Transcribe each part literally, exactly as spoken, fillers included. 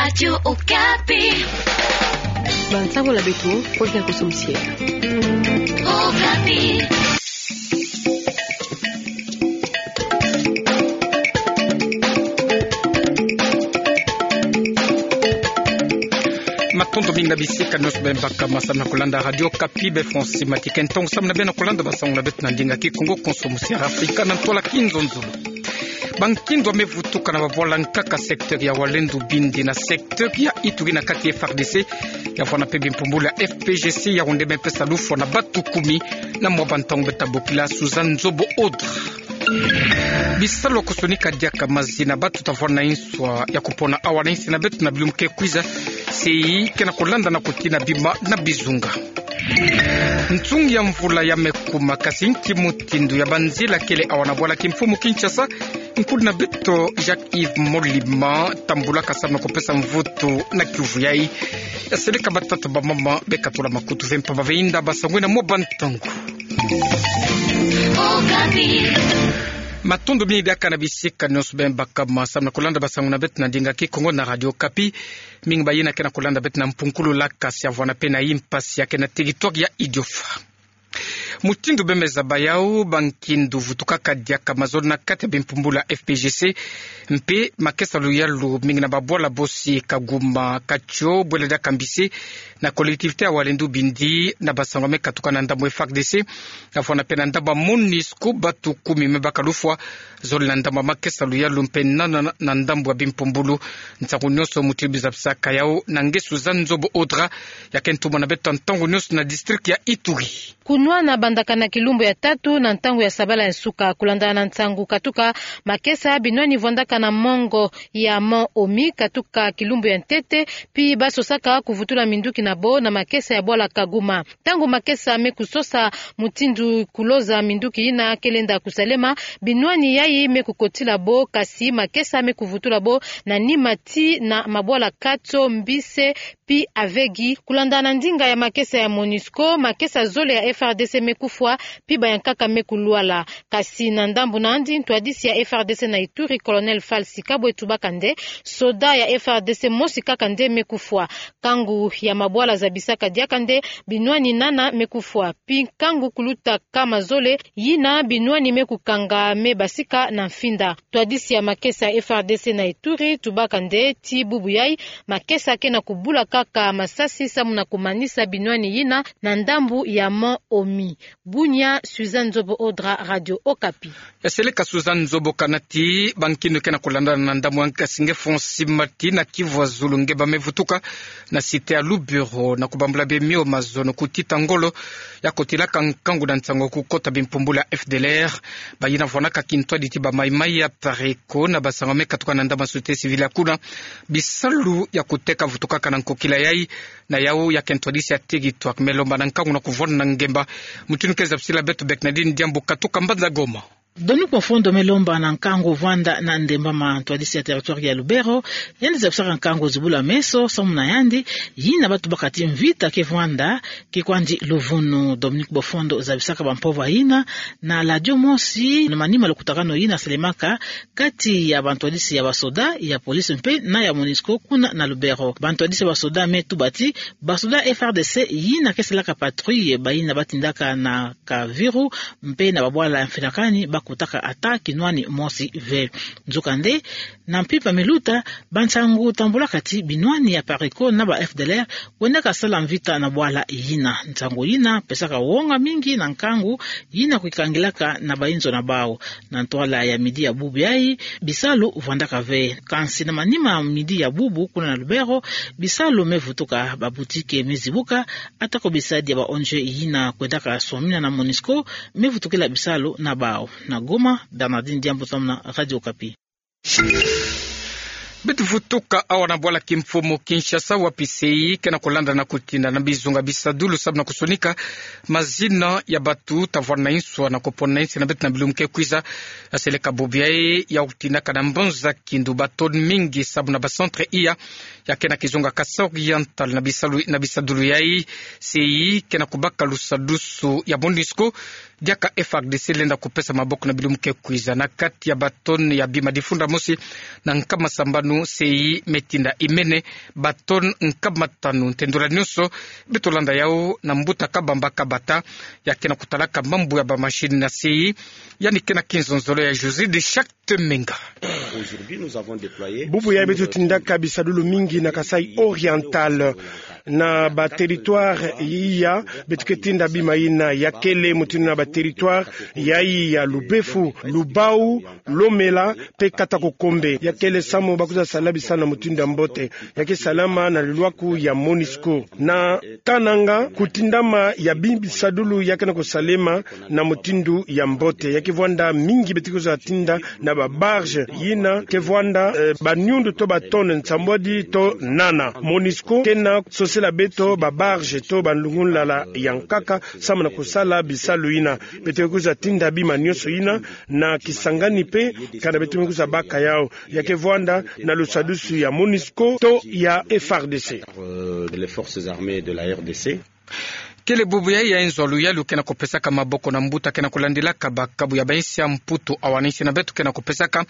Radio Okapi. Bansango na beto, Olga Kosomsie. Okapi. Matondo mingi na bisika nionso beno baka ma samu na kolanda Radio Okapi. Beno fweti mati ke ntongo samu na beno kolanda bansango na beto na ndinga Kikongo, Kosomsie, Afrika na ntwala Kinzonzolo. Bankindu me vutuka na babwala nkaka secteur ya Walendu Bindi na secteur ya Ituri na kati F R D C, ya vwanda mpe bimpumbulu ya F P G C, ya wende me pesa lufwa na batu kumi na mwa bantangu beta bokila Suzanne Nzobo Odra. Bisalu ya kusonika diaka mazina batu ta vwanda na inswa ya kupona awa na insi na beto na bilumbu ke kwiza, sei kena kolanda na kutina bima na bizunga. Nsungi ya mvula ya me kuma, kasi nki mutindu ya banzila kele awa na bwala kimfumu Kinshasa? Nkundi na beto Jacques-Yves Molima tambulaka samu na kupesa mvutu na kiuvu yai. Ya seleka batata, bamama, bekatula makutu ve mpamba ve inda ba sangwe na mwa bantangu. Matondo mingi diaka na bisika nionso beno baka ma samu na kolanda bansango na beto na ndinga Kikongo na Radio Okapi. Mingi ba yina kena kolanda beto na mpunkulu la, kasi ya vwanda mpe na impasi ya kena territoire ya Idiofa. Mutindu beno me zaba yau, bankindu vutukaka diaka mazolo na kati ya bimpumbulu ya F P G C, mpe makesa luyalu mingi na babwala bosi Kaguma, Katio, Bwele dia Kambisi, na collectivité ya Walendu Bindi, na bansango me katuka na ndambu F R D C, ya vwanda mpe na ndambu ya MONUSCO, batu kumi me baka lufwa, zole na ndambu ya makesa luyalu mpe nana na ndambu ya bimpumbulu. Nsangu nionso mutindu beno zabisaka yau na nge Suzanne Nzobo Odra, ya kena tumona beto ntangu nionso na district ya Ituri. Kunwana bandaka na kilumbu ya tatu na ntangu ya sabala ya nsuka, kulandana na nsangu katuka, makesa binwani vwandaka na mongo ya Mont Omi katuka kilumbu ya ntete, pi basosaka kuvutula minduki na bo na makesa ya bwala Kaguma. Ntangu makesa me kusosa mutindu kuloza minduki yina ke lenda kusalema, binwani yai me kukotila bo, kasi makesa me kuvutula bo na nima ti na mabwala Katio, Mbise, pi Avegi. Kulandana na ndinga ya makesa ya MONUSCO, makesa zole ya F R D C me kufwa, pi ba ya nkaka me kulwala. Kasi na ndambu na yandi, ntwadisi ya F R D C na Ituri, Colonel Falsi Kabwe, tubaka nde soda ya F R D C mosi kaka nde me kufwa. Kangu ya mabwala zabisaka diaka nde binwani nana me kufwa, pi kangu kuluta nkama zole yina binwani me kukanga me basika na mfinda. Ntwadisi ya makesa ya F R D C na Ituri tubaka nde ti bubu yai, makesa kena kubula kaka masasi samu na kumanisa binwani yina na ndambu ya Mont Omi. Bunia, Suzanne Nzobo Odra, Radio Okapi. Ya seleka Suzanne Nzobo. Kana ti bankindu kena kulandana na ndambu ya nkasi nge Fonsi Mati na Kivu ya Zulu nge ba me vutuka na cité ya Lubero na kubambula bemio mazono kutita ngolo ya kotilaka nkangu na nsangu kukota bimpumbulu ya F D L R. Ba yina vwanaka kintwadi ti ba Maï-Maï ya Pareko na bansangu me katuka na ndambu ya société civile ya kuna. Bisalu ya kuteka vutukaka na nkokila yai, na yau ya kintwadisi ya territoire me lomba na nkangu na kuvwanda na ngemba. Mutindu ke zabisila beto Bernardine Diambu katuka mbanza Goma. Dominique Mufwendo me lomba na nkangu vwanda na ndemba ma ntwadisi ya territoire ya Lubero, yandi zabisaka nkangu zibula meso, samu na yandi, yina ba tubaka ti mvita ke vwanda, ke kwandi luvunu. Dominique Mufwendo zabisaka bampova yina na ladio mosi na manima lukutakanu yina salemaka kati ya bantwadisi ya basoda, ya police mpe na ya MONUSCO kuna na Lubero. Bantwadisi ya basoda me tuba ti basoda F R D C yina ke salaka patrouille, bayina ba tindaka na Kaviru mpe na babwala ya mfinakani, ba kutaka ata kinwani mosi ve. Nzokande, na mpimpa me luta, bansangu tambulaka ti binwani ya Pareko na ba F D L R kwendaka sala mvita na bwala yina. Nsangu yina pesaka wonga mingi na nkangu yina kwikangilaka na bayinzo na bau. Na ntwala ya midi ya bubu yai, bisalu vwandaka ve. Kansi na manima midi ya bubu, kuna na Lubero, bisalu me vutuka, ba boutique me zibuka, atako bisadi ya ba O N G yina kwendaka swamina na MONUSCO me vutukila bisalu na bau. Na Goma, Bernardine Diambu Tom na Radio Okapi. Beto vutuka awa na bwala kimfumu Kinshasa, wapi sei kena kulandana kutinda na bizunga bisadulu samu na kusonika mazina ya batu ta vwanda na inswa na kupona na insi na beto na bilumbu ke kwiza. Ya seleka bubu yai ya kutindaka na mbanza Kindu ba tonnes mingi samu na ba centre iya ya kena kizunga Kasaï Oriental. Na bisalu, na bisadulu yai, sei kena kubaka lusadusu ya MONUSCO, diaka F R D C lenda kupesa maboko na bilumbu ke kwiza. Na kati ya ba tonnes ya bima difunda mosi na nkama sambanu nu sei me tinda imene, ba tonne nkama tanu. Ntendula nyonso, beto landa yau na mbuta kabamba kabata, ya ke na kutalaka mambu ya ba machine na sei, yani ke na kinzonzolo ya José de Charte Menga. Bubu ya beto tindaka bisadulu mingi na Kasaï Oriental, na ba territoire iya, beto ke tinda bima ina, ya kele mutindu na ba territoire ya iya Lubefu, Lubao, Lomela, pe Katakokombe. Ya kele samu ba kwiza sala bisalu na mutindu ya mbote. Ya ke salama na lulwaku ya Monusco. Na Kananga, kutindama ya bisadulu ya ke na kusalema na mutindu ya mbote. Ya ke vwanda mingi beto kwiza tinda na ba barge. Yina ke vwanda, eh, ba nyundu to ba tonne nsambwadi to nana. Monusco ke na sosela beto ba barge to ba nlungunlala ya nkaka samu na kusala bisalu yina. Beto kwiza tinda bima nyonso yina na Kisangani pe, kana beto me kwiza baka yau. Ya ke vwanda na lusadusu ya Monusco to ya F R D C. Euh, les forces armées de la R D C. Kele bubu ya, ya nzolu ya lu ke na kupesaka maboko na mbuta ke na kulandilaka ba kabu ya ba insi ya Mputu, awa na insi na beto ke na kupesaka,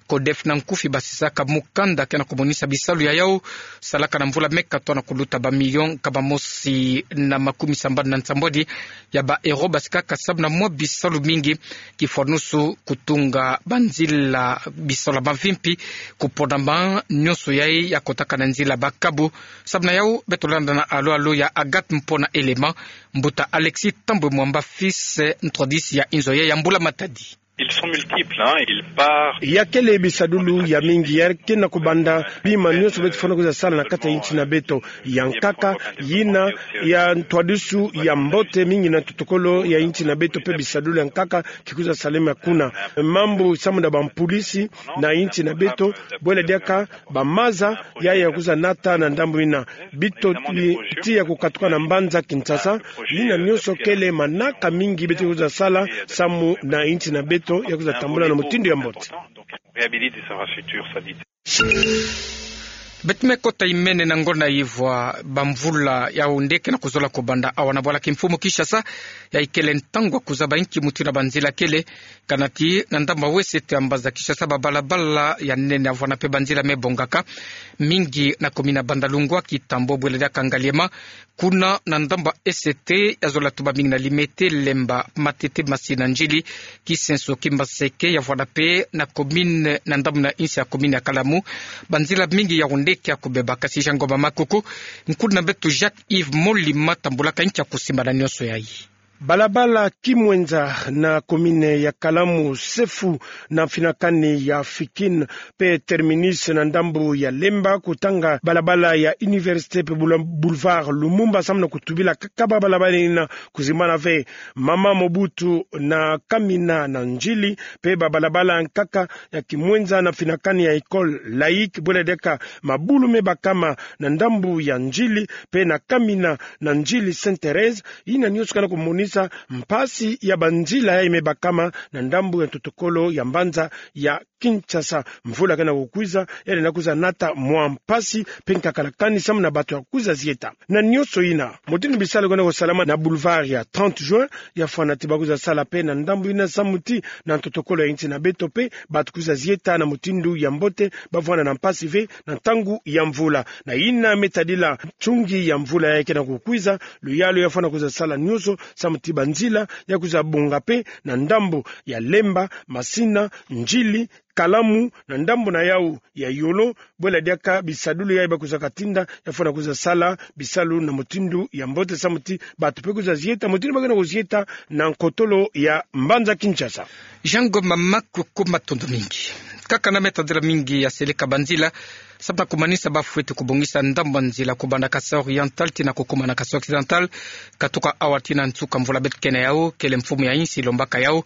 CODEF na nkufi basisaka mukanda ke na kumonisa bisalu ya yau salaka na mvula me katoa na kuluta ba million nkama mosi na makumi sambanu na nsambwadi ya ba euro, basikaka samu na mwa bisalu mingi, kifwanusu kutunga ba nzila, bisalu ya mavimpi, kupona ma nyonso yayi ya kotaka na nzila ba kabu. Samu na yau, beto landa na alo alo ya Agathe Mpona Elema, mbuta Alexis Thambwe Mwamba, fils ntwadisi ya inzo ya, ya Mbula Matadi. Ils sont multiples, hein, ils partent. Ya kele bisadulu ya mingi, ya ke na kubanda bima nyonso beto fwana kwiza sala na kati ya insi na beto. Ya nkaka, yina ya ntwadisu ya mbote mingi na ntotokolo ya insi na beto pe bisadulu ya nkaka ki kwiza salema kuna. Mambu samu na ba mpulisi na insi na beto, bwela diaka ba maza ya, ya kwiza nata na ndambu yina. Beto li tiya kukatuka na mbanza Kinshasa, yina nyonso kele manaka mingi beto kwiza sala samu na insi na beto ya kwiza tambula na mutindu ya mbote. Beto me kota imene na ngonda yivwa ba mvula ya wunde ke na kuzola kubanda awa na bwala kimfumu Kinshasa, ya ikele ntangu ya kuzaba inki mutindu na ba nzila kele, kana ti na ndambu ya wesete ya mbanza Kinshasa ba balabala ya nene ya vwanda pe ba nzila me bongaka, mingi na commune ya Bandalungwa, Kitambo, bwela diaka Ngaliema, kuna na ndambu ya esete ya zola tuba mingi na Limete, Lemba, Matete, Masina, Ndjili, Kisenso, Kimbanseke, ya vwanda pe na commune, na ndambu na insi ya commune ya Kalamu, ba nzila mingi ya wunde ke ya kubeba. Kasi Jean Ngoma Makuku, nkulu na beto Jacques Yves Molima tambulaka inki ya kusimba na nyonso yayi. Balabala Kimwenza na commune ya Kalamu, Sefu na mfinakani ya Fikin, pe Terminus na ndambu ya Lemba, kutanga balabala ya Université pe boule-, boulevard Lumumba, samu na kutubila kaka ba balabala yina kuzimbana ve. Mama Mobutu na Kamina na Ndjili, pe ba balabala nkaka ya Kimwenza na mfinakani ya École Laïque, bwela diaka mabulu me bakama na ndambu ya Ndjili, pe na Kamina na Ndjili Sainte Thérèse, yina nyonso ke na kumonisa mpasi ya ba nzila yayi me bakama na ndambu ya ntotokolo ya mbanza ya Kinshasa. Mvula ke na kukwiza, ya lenda kwiza nata mwa mpasi pe nkakalakani samu na bato ya kwiza zieta. Na nyonso yina, mutindu bisalu ke na kusalama na boulevard ya trente juin, ya fwana ti ba kwiza sala pe na ndambu yina samu ti na ntotokolo ya insi na beto pe bato kwiza zieta na mutindu ya mbote, ba vwanda na mpasi ve na ntangu ya mvula. Na yina me tadila nsungi ya mvula yayi ke na kukwiza, luyalu ya fwana kwiza sala nyonso samu ti ba nzila ya kwiza bonga pe na ndambu ya Lemba, Masina, Ndjili, Kalamu, na ndambu na yau ya Yolo, bwela diaka bisadulu yayi ba kwizaka tinda, ya fwana kwiza sala bisalu na mutindu ya mbote samu ti bato pe kwiza zieta mutindu ba ke na kuzieta na nkotolo ya mbanza Kinshasa. Jean Ngoma Makuku, matondo mingi. Kaka na me tadila mingi ya seleka ba nzila, samu na kumanisa ba fweti kubongisa ndambu ya nzila kubanda Kasaï Oriental tii na kukuma na Kasaï Occidental, katuka awa tii na nsuka mvula beto ke na yau, kele mfumu ya insi lombaka yau,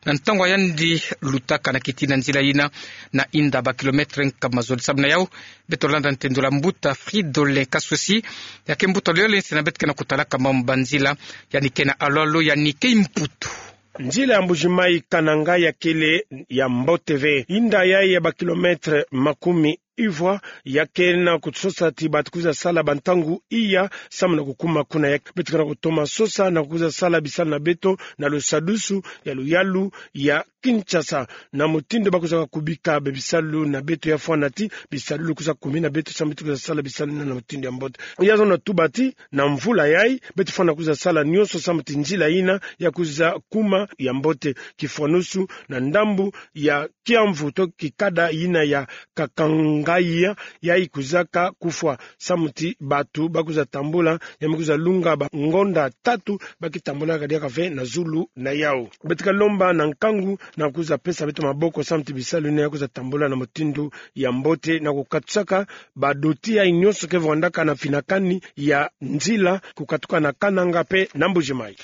na ntangu ya yandi lutaka na kiti na nzila yina, na inda ba kilomètre nkama zole. Samu na yau, beto landa ntendula mbuta Fridolin Kaswesi, ya ke mbuta luyole nsi na beto ke na kutalaka mambu ba nzila, yandi ke na alo alo, yandi ke Mputu. Nzila ya Mbujimayi Kananga ya kele ya mbote ve. Inda yayi ya ba kilomètre makumi Ivoire, ya ke na kusosa ti bato kwiza sala bantangu iya, samu na kukuma kuna. Ya ke beto ke na kutoma sosa na kwiza sala bisalu na beto na lusadusu ya luyalu ya Kinshasa. Na mutindu ba kwizaka kubika be bisalu na beto, ya fwana ti bisalu kwiza kumina beto samu ti kwiza sala bisalu na mutindu ya mbote. Ya zonza tuba ti na mvula yayi, beto fwana kwiza sala nyonso samu ti nzila yina ya kwiza kuma ya mbote. Kifwanusu na ndambu ya kiamvu to kikada yina ya Kakangaya, yayi kwizaka kufwa samu ti bato ba kwiza tambula, ya me kwiza lunga bangonda tatu ba ke tambolaka diaka ve na zulu na yawu. Beto ke lomba na nkangu na kwiza pesa beto maboko samu ti bisalu yina ya kwiza tambula na mutindu ya mbote, na kukatusaka badoti yayi nyonso ke vwandaka na finakani ya nzila, kukatuka na Kananga pe na Mbuji-Mayi.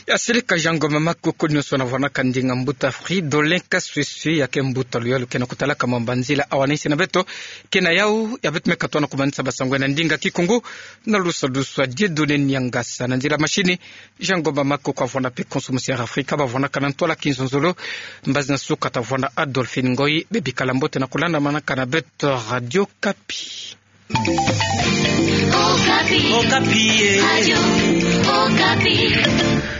Ya sirika Jean Ngoma Maku, kuni nyonso na vwanaka ndinga mbuta Fridolin Kasweswe, ya ke mbuta luyalu ke na kutalaka mambu ya nzila, awa na nsi na beto. Ke na yawu ya beto me katoa na kumanisa basango na ndinga Kikongo na lusadusu ya Dieudonné Niangasa. Na nzila mashini, Jean Ngoma Maku kwa vwana pe konso musi ya Afrika, ba vwanaka na ntwala kinzonzolo. Mbazi na suka ta vwana Adolphine Ngoyi. Be bikala mbote na kulandamanaka na beto Radio Okapi. Okapi. Okapi, eh. Radio Okapi.